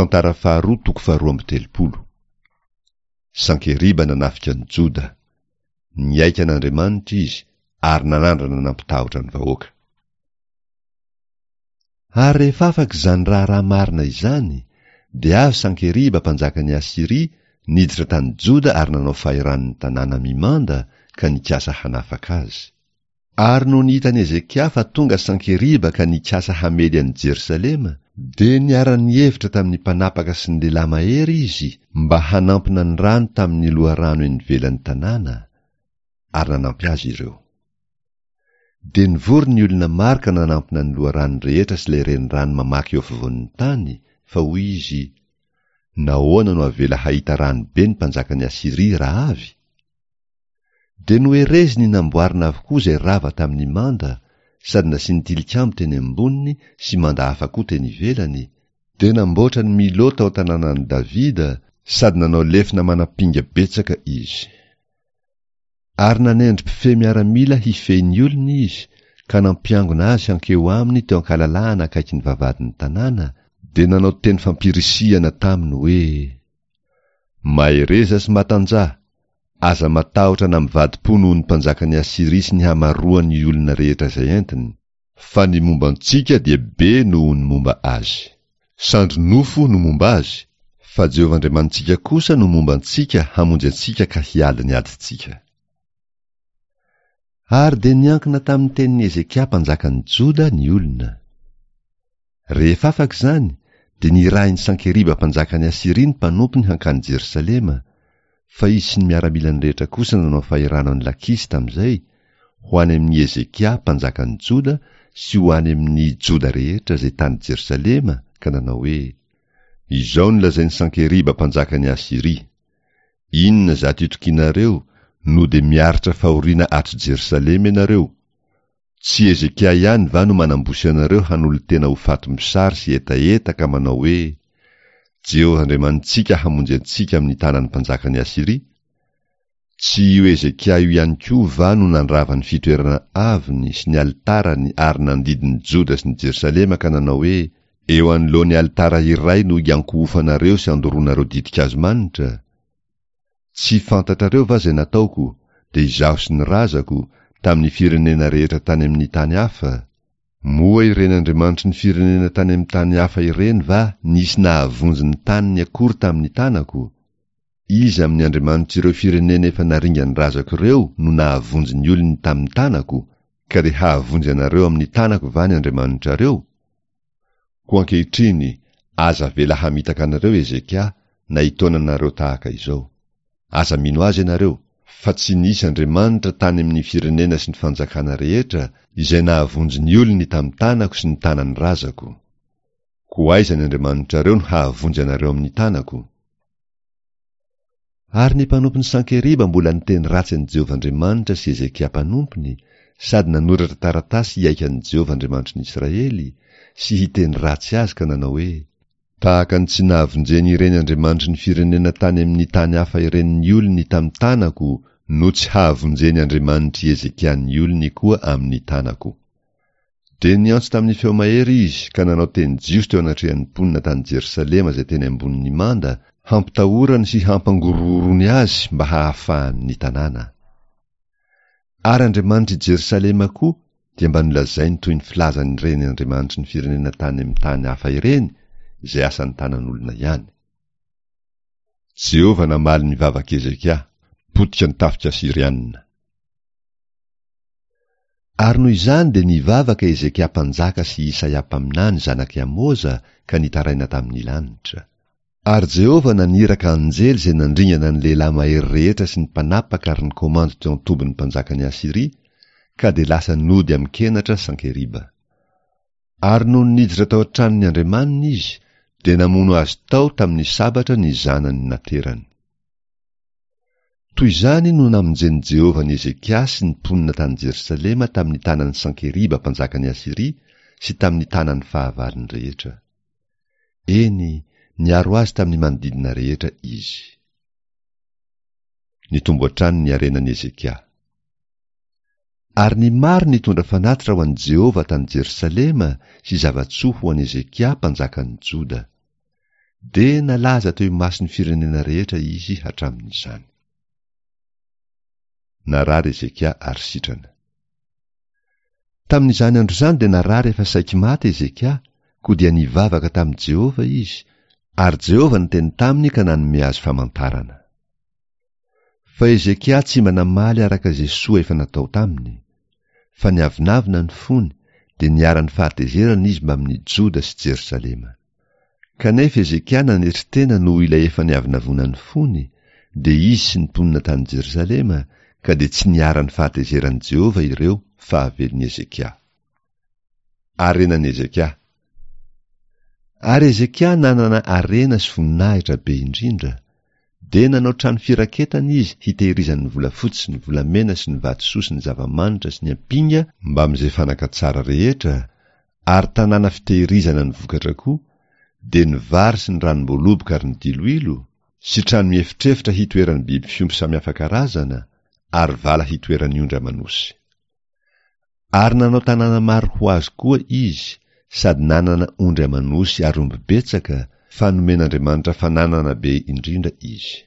Tantara faharoa toko faharoa amby telopolo. Sankeriba nanafika an'i Joda. Niaiky an'Andriamanitra izy ary nanandrana nampitahotra ny vahoaka. Ary rehefa afaka izany raharaha marina izany, dia avy Sankeriba mpanjakan'i Asyria niditra tany Joda ary nanao fahirano ny tanàna mimanda ka nikasa hanafaka azy. Ary nony hitan'i Hezekia fa tonga Sankeriba ka nikasa hamely an'i Jerosalema, dia niara-nihevitra tamin'ny mpanapaka sy ny lehilahy mahery izy mba hanampina ny rano tamin'ny loharano eny ivelan'ny tanàna, ary nanampy azy ireo. Dia nivory ny olona maro ka nanampina ny loharano rehetra sy ilay renirano mamaky eo afovoan'ny tany, fa hoy izy, Nahoana no avela hahita rano be ny mpanjakan'i Asyria raha avy? Dia nohereziny namboarina avokoa izay rava tamin'ny manda, sady nasiany tilikambo teny amboniny sy manda hafa koa teny ivelany, dia namboatra ny Milo tao an-tanànan'i Davida sady nanao lefona manam-pinga betsaka izy. Ary nanendry mpifehy miaramila hifehy ny olony izy, ka nampiangona azy hankeo aminy teo an-kalalahana akaikin'ny vavahadin'ny tanàna, dia nanao teny fampirisihana taminy hoe, Mahereza sy matanjaha, aza matahotra na mivadi-po noho ny mpanjakan'i Asyria sy ny hamaroan'ny olona rehetra izay entiny, fa ny momba antsika dia be noho ny momba azy. Sandry nofo no momba azy, fa Jehovah Andriamanitsika kosa no momba antsika hamonjy antsika ka hiady ny adintsika. Ary dia niankina tamin'ny tenin'i Hezekia mpanjakan'i Joda ny olona. Rehefa afaka izany, dia nirahin'i Sankeriba mpanjakan'i Asyria ny mpanompony hankany Jerosalema, fa izy sy ny miaramilany rehetra kosa nanao fahirano an'i Lakisy tamin'izay, ho any amin'i Hezekia mpanjakan'i Joda sy ho any amin'ny Joda rehetra izay tany Jerosalema, ka nanao hoe, Izao no lazain'i Sankeriba mpanjakan'i Asyria, Inona izato itokianareo no dia miaritra fahoriana ato Jerosalema ianareo? Tsy Hezekia ihany va no manambosy anareo hanolo-tena ho faty mosary sy hetaheta ka manao hoe, Jehovah Andriamanitsika hamonjy antsika amin'ny tanan'ny mpanjakan'i Asyria? Tsy io Hezekia io ihany koa va no nandrava ny fitoerana avony sy ny alitarany ary nandidy ny Joda sy ny Jerosalema ka nanao hoe, Eo anoloan'ny alitara iray no hiankohofanareo sy andoroanareo ditin-kazo manitra? Tsy fantatrareo va izay nataoko, dia izaho sy ny razako, tamin'ny firenena rehetra tany amin'ny tany hafa? Moa ireny andriamanitry ny firenena tany amin'ny tany hafa ireny va nisy nahavonjy ny taniny akory tamin'ny tanako? Iza amin'ny andriamanitr'ireo firenena efa naringan'ny razako ireo no nahavonjy ny olony tamin'ny tanako, ka dia hahavonjy anareo amin'ny tanako va ny andriamanitrareo? Koa ankehitriny, aza avela hamitaka anareo Hezekia na hitaona anareo tahaka izao. Aza mino azy ianareo, fa tsy nisy andriamanitra tany amin'ny firenena sy ny fanjakana rehetra izay nahavonjy ny olony tamin'ny tanako sy ny tanan'ny razako. Koa aiza ny andriamanitrareo no hahavonjy anareo amin'ny tanako? Ary ny mpanompon'i Sankeriba mbola niteny ratsy an'i Jehovah Andriamanitra sy Hezekia mpanompony, sady nanoratra taratasy hihaika an'i Jehovah Andriamanitry ny Israely, sy hiteny ratsy azy ka nanao hoe, Tahaka ny tsy nahavonjen'ireny andriamanitry ny firenena tany amin'ny tany hafa ireny ny olony tamin'ny tanako no tsy hahavonjen'ny Andriamanitr'i Hezekia ny olony koa amin'ny tanako. Dia niantso tamin'ny feo mahery izy ka nanao teny jiosy teo anatrehan'ny mponina tany Jerosalema izay teny ambonin'ny manda, hampitahorany sy hampangorohoroany azy mba hahafahany ny tanàna. Ary Andriamanitr'i Jerosalema koa dia mba nolazainy toy ny filazan'ireny andriamanitry ny firenena tany amin'ny tany hafa ireny, izay asan'ny tanan'olona ihany. Jehovah namaly ny vavak'i Hezekia, potika ny tafika asyrianina. Ary noho izany dia nivavaka Hezekia mpanjaka sy Isaia mpaminany zanak'i Amoza ka nitaraina tamin'ny lanitra. Ary Jehovah naniraka anjely izay nandringana ny lehilahy mahery rehetra sy ny mpanapaka ary ny komandy teo an-tobin'ny mpanjakan'i Asyria, ka dia lasa nody amin-kenatra Sankeriba. Ary nony niditra tao an-tranon'ny andriamaniny izy, dia namono azy tao tamin'ny sabatra ny zanany naterany. Toy izany no namonjen'i Jehovah an'i Hezekia sy ny mponina tany Jerosalema tamin'ny tanan'i Sankeriba mpanjakan'i Asyria sy tamin'ny tanan'ny fahavalony rehetra. Eny, niaro azy tamin'ny manodidina rehetra izy. Nitombo hatrany ny harenan'i Hezekia. Ary ny maro nitondra fanatitra ho an'i Jehovah tany Jerosalema sy zava-tsoa ho an'i Hezekia mpanjakan'i Joda. Dia nalaza teo imason'ny firenena rehetra izy hatramin'izany. Narary Hezekia ary sitrana. Tamin'izany andro izany dia narary efa saiky maty Hezekia, koa dia nivavaka tamin'i Jehovah izy, ary Jehovah niteny taminy ka nanome azy famantarana. Fa Hezekia tsy mba namaly araka izay soa efa natao taminy, fa niavonavona ny fony, dia niharan'ny fahatezerana izy mbamin'ny Joda sy Jerosalema. Kanefa Hezekia nanetry tena noho ilay efa niavonavona ny fony, dia izy sy ny mponina tany Jerosalema, ka dia tsy niharan'ny fahatezeran'i Jehovah ireo fahavelon'i Hezekia. Harenan'i Hezekia. Ary Hezekia nanana harena sy voninahitra be indrindra, dia nanao trano firaketana izy hitehirizany ny volafotsy sy ny volamena sy ny vatosoa sy ny zava-manitra sy ny ampinga mbamin'izay fanaka tsara rehetra, ary tanàna fitehirizana ny vokatra koa, dia ny vary sy ny ranom-boaloboka ary ny diloilo, sy trano miefitrefitra hitoeran'ny biby fiompy samihafa karazana, ary vala hitoeran'ny ondry aman'osy. Ary nanao tanàna maro ho azy koa izy, sady nanana ondry aman'osy ary omby betsaka, fa nomen'Andriamanitra fananana be indrindra izy.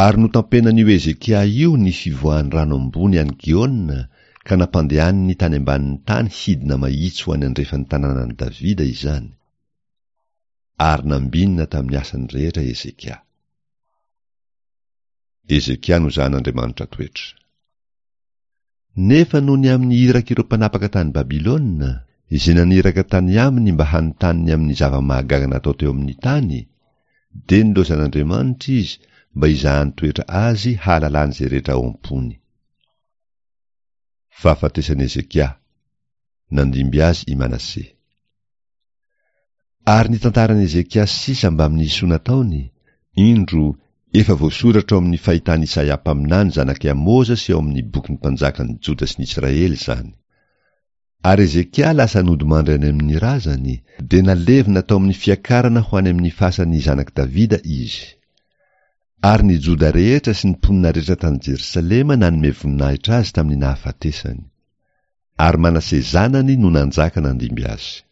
Ary notampenan'io Hezekia io ny fivoahan'ny rano ambony any Gihona, ka nampandehaniny tany ambanin'ny tany hidina mahitsy ho any andrefan'ny tanànan'i Davida izany. Ary nambinina tamin'ny asany rehetra Hezekia. Hezekia nozahan'Andriamanitra toetra. Nefa noho ny amin'ny irak'ireo mpanapaka tany Babylona, izay naniraka tany aminy mba hanontany ny amin'ny zava-mahagaga natao teo amin'ny tany, dia nilaozan'Andriamanitra izy mba hizahany toetra azy hahalalany izay rehetra ao am-pony. Fahafatesan'i Hezekia. Nandimby azy i Manase. Ary ny tantaran'i Ezekiasy sisa mbamin'ny soa nataony, indro, efa voasoratra ao amin'ny fahitan'i Isaia mpaminany zanak'i Amoza sy ao amin'ny bokin'ny mpanjakan'ny Joda sy ny Israely izany. Ary Ezekia lasa nodimandry any amin'ny razany, dia nalevina tao amin'ny fiakarana ho any amin'ny fasan'ny zanak'i Davida izy. Ary ny Joda rehetra sy ny mponina rehetra tany Jerosalema nanome voninahitra azy tamin'ny nahafatesany. Ary Manase zanany no nanjaka nandimby azy.